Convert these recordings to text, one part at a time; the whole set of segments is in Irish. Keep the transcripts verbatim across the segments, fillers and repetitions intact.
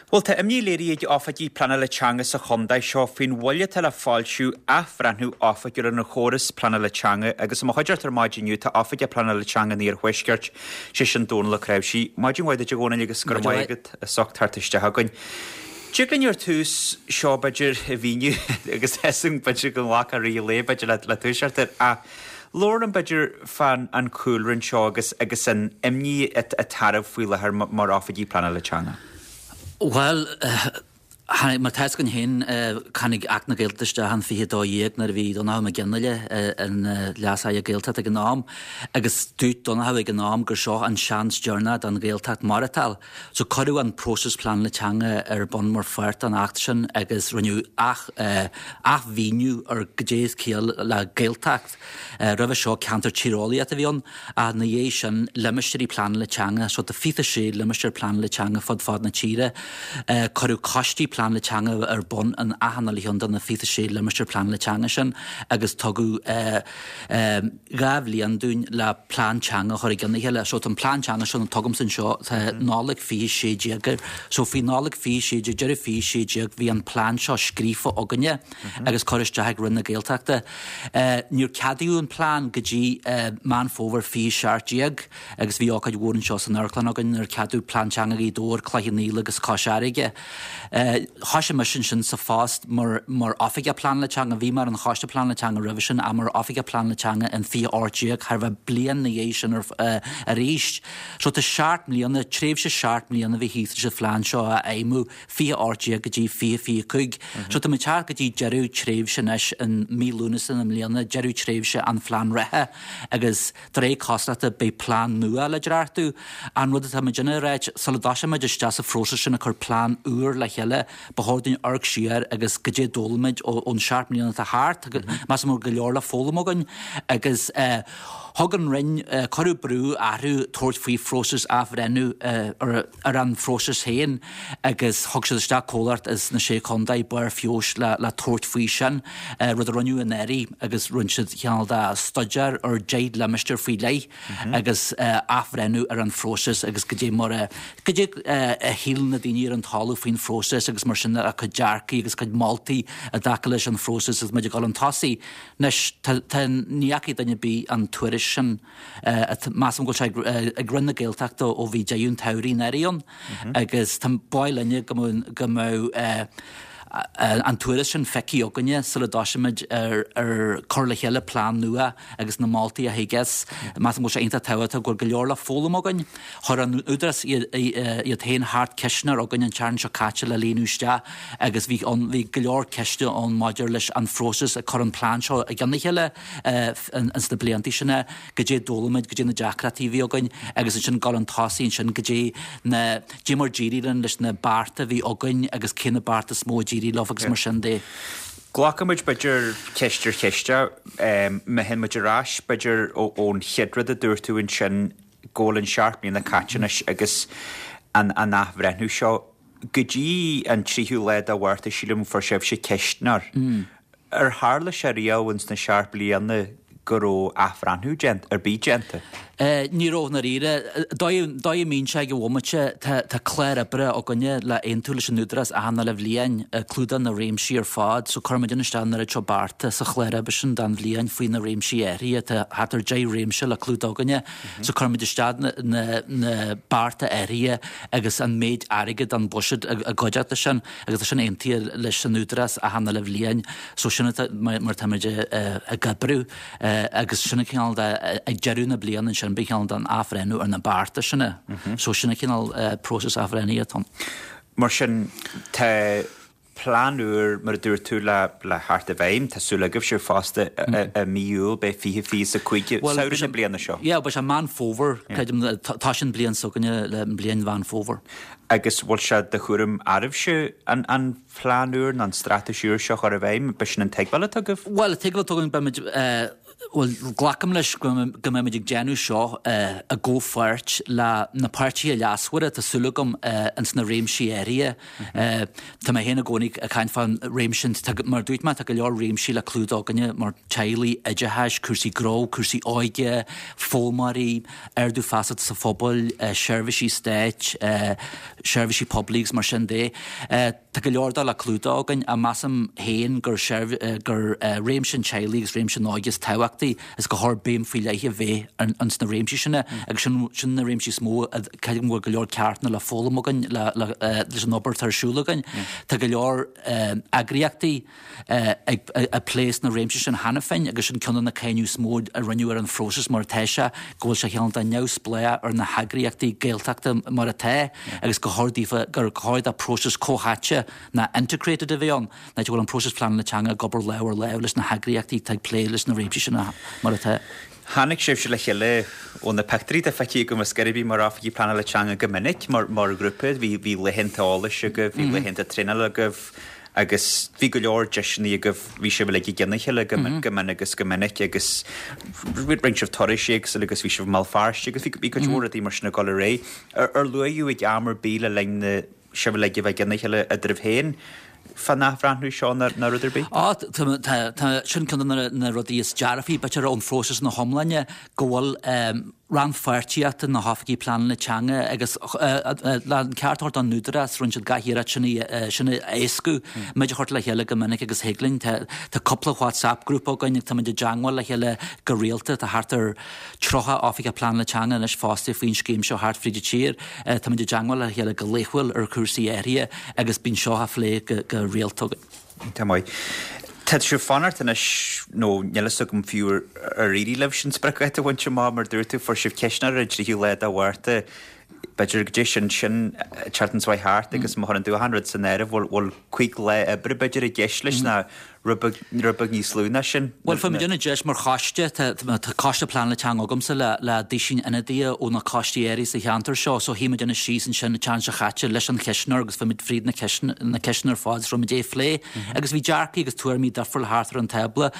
Bhuel, tá imní léirithe ag oifigigh pleanála teanga sa chontae seo faoin mhoill atá le foilsiú athbhreithniú oifigiúil ar an chóras pleanála teanga agus i mo chuideachta ar maidin inniu tá oifigeach pleanála teanga an Iarthuaiscirt, sé sin Dónal Ó Cnáimhsí. Maidin mhaith duit a Dhónaill agus go raibh maith agat as ucht teacht isteach chugainn. Tig linn ar tús seo b'fhéidir a mhíniú agus esan b'fhéidir go nglacfá rith lae b'fhéidir le, le toiseacht air ach labhair liom b'fhéidir fán an cúlra anseo agus agus an imní atá oraibh faoi láthair mar oifigigh pleanála teanga. Bhuel, mar tá againn féin tháinig Acht na Gaeltachta isteach an fiche dó dhéag nuair a bhí Donnchadh Mac Fhionnghaile ina Leas-Aire Gaeltachta ag an am agus dúirt Donnchadh ag an am gur seo an seans deireanach don Ghaeltacht maireachtáil. So cuireadh an próiseas pleanála teanga ar bun mar pháirt den Acht sin agus rinneadh athmhíniú ar goidé is ciall le Gaeltacht. Roimhe seo ceantar tíreolaíochta a bhí ann ach ina dhiaidh sin limistéirí pleanála teanga, so tá fiche sé limistéar pleanála teanga fud fad na tíre. Cuireadh coistí pleanála teanga ar bun in achan uile cheann de na fiche sé limistéar pleanála teanga sin agus tugadh dhá bhliain dúinn le plean teanga a chur i gcionn a chéile. So tá an plean teanga seo atá agamsa anseo tá Nollaig fiche sé déag air. So faoi Nollaig fiche sé déag, deireadh fiche sé déag bhí an plean seo scríofa againne agus curtha isteach ag Roinn na Gaeltachta. Níor ceadaíodh an plean go dtí Meán Fómhair fiche seacht déag agus bhí ócáid mhór anseo san amharclann againn nuair a ceadaíodh plean teanga Ghaoth Dobhair, Cloich Cheann Fhaola agus Cois Fharraige. Thoisigh mise ansin sa phost mar mar oifigeach pleanála teanga, bhí mé ar an choiste pleanála teanga roimhe sin ach mar oifigeach pleanála teanga in fiche ocht déag thar bheith bliain ina dhiaidh sin arís. So tá seacht mbliana, tréimhse seacht mbliana a bhí thíos leis an phlean seo a fheidhmiú, fiche ocht déag go dtí fiche fiche cúig. So tá muid teacht go dtí deireadh tréimhse anois in mí Lúnasa na mbliana, deireadh tréimhse an phlean reatha agus de réir cosúlachta beidh plean nua le dréachtú. An rud atá muid ag ráit, sula dtoiseoidh muid isteach sa phróiseas sin ag cur plean úr le chéile, ba chóir dúinn amharc siar agus goidé a d'fhoghlaim muid ón seacht mbliana atá thart, measaim go bhfuil go leor le foghlaim againn agus thug an Roinn, cuireadh brú orthu tabhairt faoi phróiseas athbhreithniú ar ar an phróiseas féin agus thug siad isteach comhlacht as na Sé Chontae, Barr Feabhais le le tabhairt faoi sin, rud a rinneadh anuraidh agus rinne siad cineál de staidéar ar deich limistéar faoi leith agus athbhreithniú ar an phróiseas agus goidé mar a goidé a shíl na daoine ar an talamh faoin phróiseas agus mar sin a cuid dearcaí agus cuid moltaí i dtaca leis an phróiseas agus muid ag dul chun tosaigh. Anois tá tá ní fhaca duine ar bith an tuairisc sin measaim go bhfuil sé ag Roinn na Gaeltachta ó bhí deireadh an tsamhraidh anuraidh ann agus tá baol linne go mbeadh go mbeadh an tuairisc sin feicthe againne sula dtoiseoimid ar ar cur le chéile plean nua agus na moltaí a thig as. Measaim go bhfuil sé iontach tábhachtach go bhfuil go leor le foghlaim againn. Chuir an Údarás iad féin thart ceistneoir againn an tseachtain seo caite le líonadh isteach agus bhí ann bhí go leor ceisteanna ann maidir leis an phróiseas ag cur an plean seo i gcionn a chéile ins na blianta sin, goidé a d'fhoghlaim muid, goidé na deacrachtaí a bhí againn agus ansin dul chun tosaigh ansin goidé na goidé mar d'éirigh linn leis na bearta a bhí againn agus cé na bearta is mó a d'éirigh leo agus mar sin de. Glacfaimid b'fhéidir ceist ar cheist má théann muid ar ais b'fhéidir ón chéad rud a dúirt tú ansin go bhfuil an seacht mbliana caite anois agus an an athbhreithniú seo go dtí an tríú lá de Mhárta sílim fuair sibhse ceistneoir. Ar tharla sé riamh ins na seacht bliana go raibh athbhreithniú déanta ar bith déanta? Ní raibh i ndáiríre. Dóigh a mbíonn sé ag an bhomaite, tá clár oibre againne le aontú leis an Údarás achan uile bhliain, clúdaíonn na réimsí ar fad, so cuirimid isteach an oiread seo bearta sa chlár oibre sin don bhliain faoi na réimsí áirithe, tá thart ar deich réimse le clúdach againne, so cuirimid isteach na bearta áirithe agus an méid airgid an buiséad i gcuideachta sin agus tá sin aontaithe leis an Údarás achan uile bhliain, so sin mar atáimid ag oibriú. Agus sin an cineál de, ag deireadh na bliana ansin, bíonn cineál den athbhreithniú ar na bearta sin. So sin an cineál próiseas athbhreithnithe atá ann. Mar sin, tá plean úr, mar a dúirt tú, le le theacht i bhfeidhm. Tá súil agaibhse fosta i mí Iúil, beidh fiche fiche is a cúig, samhradh na bliana seo. Yeah, beidh sé Meán Fómhair, creidim, tá sin bliain s'againne le bliain Mheán Fómhair. Agus bhfuil sé de chúram oraibhse an an plean úr nó an straitéis úr seo a chur i bhfeidhm? B'shin an tuigbheáil atá agaibh? Bhuel, an tuigbheáil atá againn, beimid, bhuel, glacaim leis go go mbeimid ag déanamh seo i gcomhpháirt le na páirtithe leasmhara, tá súil agam, ins na réimsí áirithe. Tá mé féin i gcónaí ag caint fán réimse sin, tá, mar a dúirt mé, tá go leor réimsí le clúdach againne mar teaghlaigh, oideachais, cúrsaí gnó, cúrsaí óige, foghlaimeoirí, ardú feasachta sa phobal, seirbhísí stáit, seirbhísí poiblí agus mar sin de. Tá go leor dó le clúdach againn ach measaim féin gur gur réimse an teaghlaigh agus réimse an óige is tábhachtaí is gur chóir béim faoi leith a bheith ins na réimsí sin agus sin sin na réimsí is mó a creidim go bhfuil go leor ceachtanna le foghlaim againn le le leis an obair atá ar siúl againn. Tá go leor eagraíochtaí ag ag plé sna réimsí sin cheana féin agus sin ceann de na cáineadh is mó a rinneadh ar an phróiseas mar atá sé, go bhfuil sé cineál de neamhspleách ar na heagraíochtaí Gaeltachta mar atá agus gur chóir daofa gur chóir do próiseas comhtháite ná integrated a bheith ann, ná go bhfuil an próiseas pleanála teanga ag obair lámh ar lámh leis na heagraíochtaí atá ag plé leis na réimsí sin mar atá. Tháinig sibhse le chéile ó na pictiúirí atá feicthe agam ar scor ar bith mar oifigigh pleanála teanga go minic mar mar ghrúpa, bhí bhí laethanta eolais agaibh, bhí laethanta traenála agaibh agus bhí go leor deiseanna agaibh, bhí sibh uilig i gcionn a chéile go go mion agus go minic agus rinne sibh turais éagsúla agus bhí sibh i mBéal Feirste agus bhí bhí cuid mhór rudaí mar sin ag dul ar aghaidh. Ar ar luaíodh ag am ar bith le linn na sibh uilig a bheith i gcionn a chéile eadraibh féin fán athbhreithniú seo ná ná rud ar bith? Á tá tá tá sin ceann de na na rudaí is dearfaí b'fhéidir ón phróiseas ina hiomláine go bhfuil rannpháirtíocht na hoifigí pleanála teanga agus le an ceart a thabhairt don Údarás rinne siad gach iarracht sin a sin a éascú muid a chur le chéile go minic agus thig linn tá tá cúpla WhatsApp grúpa againn ag táimid i dteagmháil le chéile go rialta tá thart ar tríocha oifigeach pleanála teanga anois fostaithe faoin scéim seo thart fríd an tír táimid i dteagmháil le chéile go laethúil ar chúrsaí áirithe agus bíonn seo á phlé go go rialta againn. Tá maith. Tá sibh fanacht anois nó níl a fhios agam fiú ar ar éirigh libh sin spriocdháta a bhaint amach mar dúirt tú fuair sibh ceistneoir ar an tríú lá de Mhárta b'fhéidir go dté sin sin tseachtain seo thart agus má chuireann tú achan rud san áireamh bhfuil bhfuil cúig lá oibre b'fhéidir i gceist leis ná rud beag rud beag níos lú ná sin. Bhuel fuair muid an deis mar choiste tá tá coiste pleanála teanga agamsa le le duisín ionadaithe ó na coistí áirithe sa cheantar seo so shuigh muid ina síos ansin an tseachtain seo chaite leis an cheistneoir agus fuair muid fríd na na ceisteanna ar fad is raibh muid é phlé agus bhí dearcaí agus tuairimí difriúla thart ar an tábla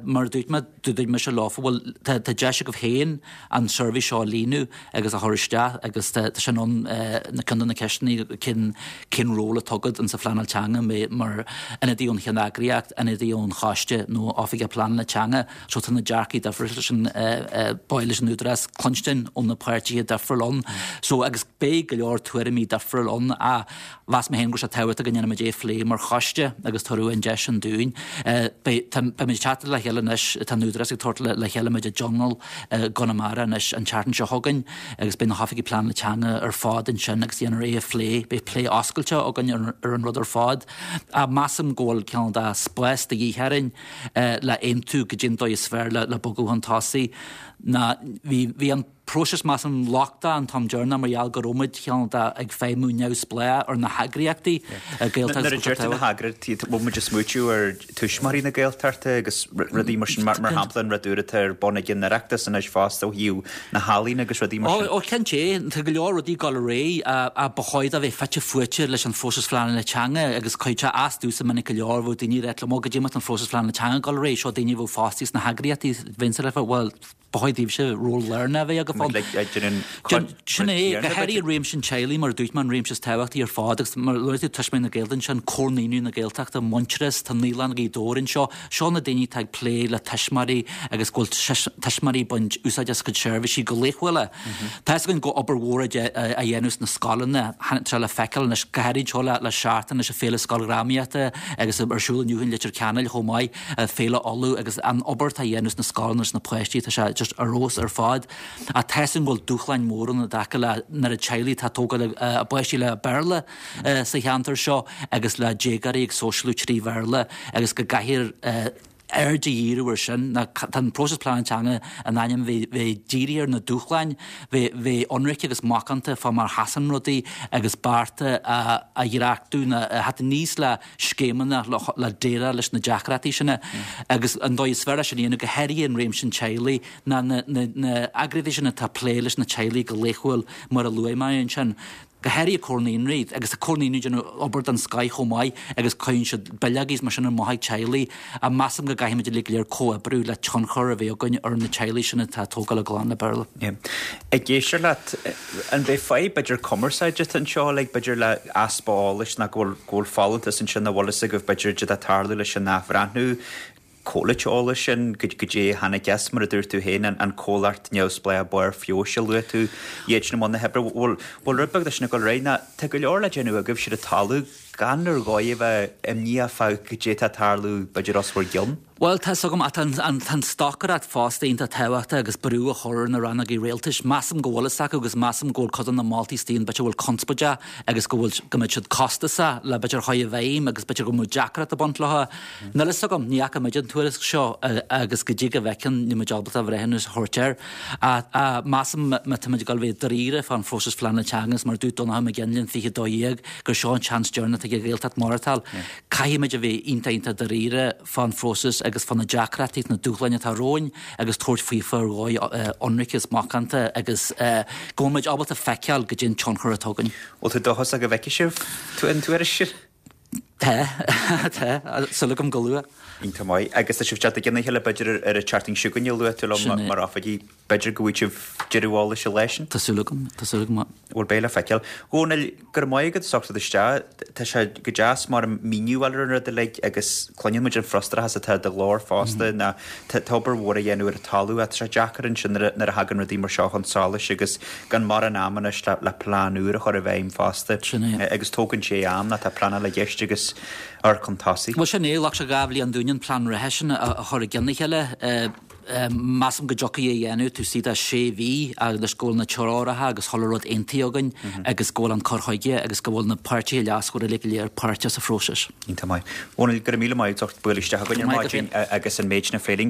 mar a dúirt mé dúirt mise leofa bhuel tá tá deis agaibh féin an suirbhé seo a líonadh agus a chur isteach agus tá tá sin ann na ceann de na ceisteanna cén cén ról atá agat in sa phleanáil teanga mé mar ionadaí ón cheanneagraíocht ionadaí ón choiste nó oifigeach pleanála teanga so tá na dearcaí difriúla sin ba mhaith leis an Údarás cluinstin ó na páirtithe difriúla ann so agus beidh go leor tuairimí difriúla ann a mheas mé féin go raibh sé tábhachtach go ndéanfaimid é phlé mar choiste agus tabharfadh an deis sin dúinn. Beidh tá beimid ag teacht le chéile anois tá an Údarás ag tabhairt le le chéile muid i dtionól i gConamara anois an tseachtain seo chugainn agus beidh na hoifigigh pleanála teanga ar fad ansin agus déanfar é a phlé beidh plé oscailte againn ar ar an rud ar fad. A measaim go bhfuil cineál de spás de dhíth orainn le aontú go dtí an dóigh is fearr le le bogadh chun tosaigh ná bhí bhí an próiseas measaim lochtach an t-am deireanach mar gheall go raibh muid cineál de ag feidhmiú neamhspleách ar na heagraíochtaí Gaeltacht Nuair a deir tú na heagraíochtaí bhfuil muid ag smaoitiú ar Tuismitheoirí na Gaeltachta agus rudaí mar sin mar mar shampla an rud úr atá ar bun ag an Oireachtas anois fosta ó thaobh na healaíona agus rudaí mar sin. Ó cinnte, tá go leor rudaí ag dul ar aghaidh a ba chóir a bheith fite fuaite leis an phróiseas phleanála teanga agus cuid sé as domhsa minic go leor bheadh daoine ag rá liom ó goidé má tá an phróiseas phleanála teanga ag dul ar aghaidh seo daoine a bheadh fostaithe sna heagraíochtaí bheinnse le bhuel ba chóir daoibhse ról lárnach a bheith agaibh ann. Sin é, go háirithe i réimse an teaghlaigh mar a dúirt mé an réimse is tábhachtaí ar fad agus mar a luaigh tú Tuismitheoirí na Gaeltachta ansin, Comhar Naíonraí na Gaeltachta, Muintearas, tá Naíolann Ghaoth Dobhair anseo, seo na daoine atá ag plé le tuismitheoirí agus go bhfuil tuismitheoirí ag baint úsáid as a gcuid seirbhísí go laethúil. Tá fhios againn go obair mhór á dhéanamh sna scoileanna, tá sé le feiceáil anois, go háirithe anseo le seachtain leis an Féile Scoildhrámaíochta agus ar siúl inniu in Leitir Ceanainn chomh maith, Féile Uladh agus an obair atá á dhéanamh sna scoileanna leis na páistí, tá sé just ar fheabhas ar fad. Ach tá fhios againn go bhfuil dúshláin mhóra ann i dtaca le na teaghlaigh atá ag tógáil a bpáistí le Béarla sa cheantar seo agus le déagóirí ag sóisialú trí Bhéarla agus go gcaithfear aird a dhíriú ar sin. Tá an próiseas pleanála teanga in ainm bheith bheith dírithe ar na dúshláin, bheith bheith ionraic agus macánta fá mar a sheasann rudaí agus bearta a a dhreachtú ná a theacht aníos le scéimeanna le déileáil leis na deacrachtaí sin agus an dóigh is fearr leis sin a dhéanamh, go háirithe in réimse an teaghlaigh, ná na na eagraíochtaí sin atá ag plé leis na teaghlaigh go laethúil mar a luaigh mé ansin. Go háirithe Comhar Naíonraí, agus tá Comhar Naíonraí ag déanamh obair den scoith chomh maith agus cuireann siad bileogaí is mar sin amach ag teaghlaigh ach measaim go gcaithfimid uilig go léir comhoibriú le tionchar a bheith againn ar na teaghlaigh sin atá ag tógáil a gclann le Béarla. Ag éisteacht leat, an mbeidh fadhb b'fhéidir cumarsáide anseo, like b'fhéidir le easpa eolais nó go bhfuil go bhfuil folúntas ansin nach bhfuil fhios agaibh b'fhéidir cad atá ag tarlú leis an athbhreithniú, comhlacht eolais sin goidé a tháinig as, mar a dúirt tú féin, an comhlacht neamhspleách Barr Feabhais a luaigh tú, iad sin i mbun na hoibre. Bhfuil rud beag de sin ag dul ar aghaidh ná tá go leor le déanamh agaibhse ar an talamh gan ar dhóigh a bheith imníoch fá goidé atá ag tarlú b'fhéidir os bhur gcionn? Bhuel, tá 'fhios agam, ach tá an stocaireacht fosta iontach tábhachtach agus brú a chur ar na rannógaí rialtais. Measaim go bhfuil fhios acu agus measaim go bhfuil cuid de na moltaí istigh ann b'fhéidir a bhfuil conspóideach agus go bhfuil, go mbeidh siad costasach le b'fhéidir a chur i bhfeidhm agus b'fhéidir go mbeadh deacracht ag baint leo. Níl fhios agam, ní fhaca muid an tuairisc seo agus go dtí go bhfeiceann níl muid ábalta breithiúnas a thabhairt air. Ach measaim má tá muid ag dul a bheith dáiríre fán phróiseas phleanála teanga is mar a dúirt Donnchadh Mac Fhionnghaile an fiche dó dhéag gur seo an seans deireanach ag an Ghaeltacht maireachtáil, caithfidh muid a bheith iontach iontach dáiríre fán phróiseas agus fá na deacrachtaí is na dúshláin atá romhainn agus tabhairt faofa ar dhóigh ionraic is macánta agus go bhfuil muid ábalta feiceáil goidé an tionchar atá againn. Bhfuil tú dóchasach go bhfeicfidh sibh an tuairisc sin? Tá, tá, súil agam go luath. Iontach maith. Agus tá sibh teacht i gcionn a chéile b'fhéidir ar an tseachtain seo chugainn a luaigh tú liom mar oifigigh. B'fhéidir go bhfaighidh sibh deireadh eolais an lá sin? Tá súil agam, tá súil agam. Bhuel, beidh le feiceáil. Dhónaill, go raibh maith agat as ucht teacht isteach. Tá sé go deas mar míniú a fháil ar an rud uilig agus cluineann muid an frustrachas atá i do ghlór fosta ná tá obair mhór á dhéanamh ar an talamh ach tá sé deacair ansin nuair a thagann rudaí mar seo chun solais agus gan mórán ama anois le plean úr a chur i bhfeidhm fosta. Sin é. Agus tógann sé am ná tá pleanáil i gceist agus amharc chun tosaigh. Bhuel sin é, ghlac sé dhá bhliain dúinn an plean reatha sin a chur i gcionn a chéile. Measaim go dtiocfaidh é a dhéanamh taobh istigh de sé mhí agus go bhfuil na treoracha agus chuile rud aontaithe againn agus go bhfuil an cur chuige agus go bhfuil na páirtithe leasmhara uilig go léir páirteach sa phróiseas. Iontach maith. Dhónaill, go raibh míle maith agat as ucht bualadh isteach againn ar maidin agus an méid sin a phlé linn.